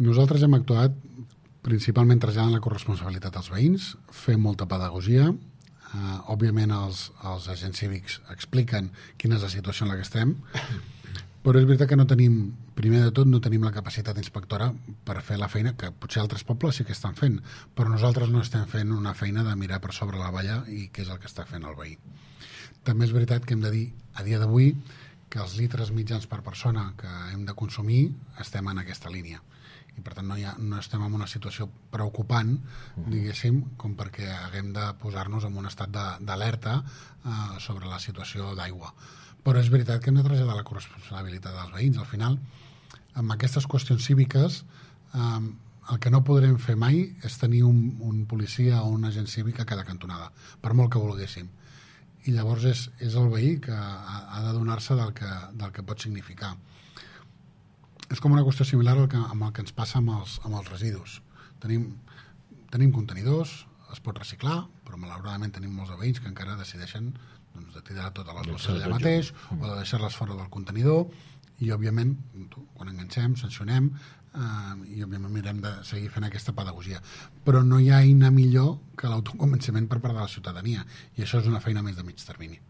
Nosaltres hem actuat principalment traslladant la corresponsabilitat als veïns, fem molta pedagogia, òbviament els agents cívics expliquen quina és la situació en la que estem, però és veritat que no tenim, primer de tot, no tenim la capacitat inspectora per fer la feina que potser altres pobles sí que estan fent, però nosaltres no estem fent una feina de mirar per sobre la valla i què és el que està fent el veí. També és veritat que hem de dir, a dia d'avui, que els litres mitjans per persona que hem de consumir estem en aquesta línia. I per tant no estem en una situació preocupant, diguéssim, com perquè haguem de posar-nos en un estat d'alerta sobre la situació d'aigua. Però és veritat que hem de traslladar la corresponsabilitat dels veïns. Al final, amb aquestes qüestions cíviques, el que no podrem fer mai és tenir un policia o un agent cívic a cada cantonada, per molt que volguéssim. I llavors és el veí que ha de donar-se del que pot significar. És com una qüestió similar amb el que ens passa amb els residus. Tenim contenidors, es pot reciclar, però malauradament tenim molts veïns que encara decideixen de tirar totes les bosses allà mateix o de deixar-les fora del contenidor i, òbviament, quan enganxem, sancionem i, òbviament, mirem de seguir fent aquesta pedagogia. Però no hi ha eina millor que l'autoconvenciment per part de la ciutadania i això és una feina més de mig termini.